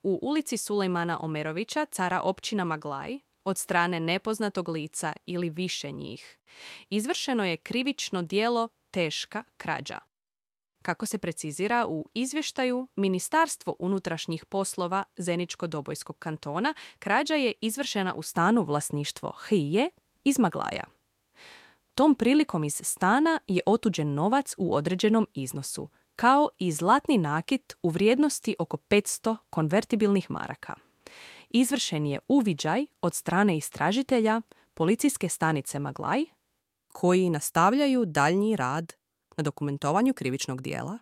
u ulici Sulejmana Omerovića, cara općina Maglaj, od strane nepoznatog lica ili više njih. Izvršeno je krivično djelo teška krađa. Kako se precizira u izvještaju, Ministarstvo unutrašnjih poslova Zeničko-Dobojskog kantona, krađa je izvršena u stanu vlasništvo Hije iz Maglaja. Tom prilikom iz stana je otuđen novac u određenom iznosu, kao i zlatni nakit u vrijednosti oko 500 konvertibilnih maraka. Izvršen je uviđaj od strane istražitelja policijske stanice Maglaj, koji nastavljaju daljnji rad na dokumentovanju krivičnog djela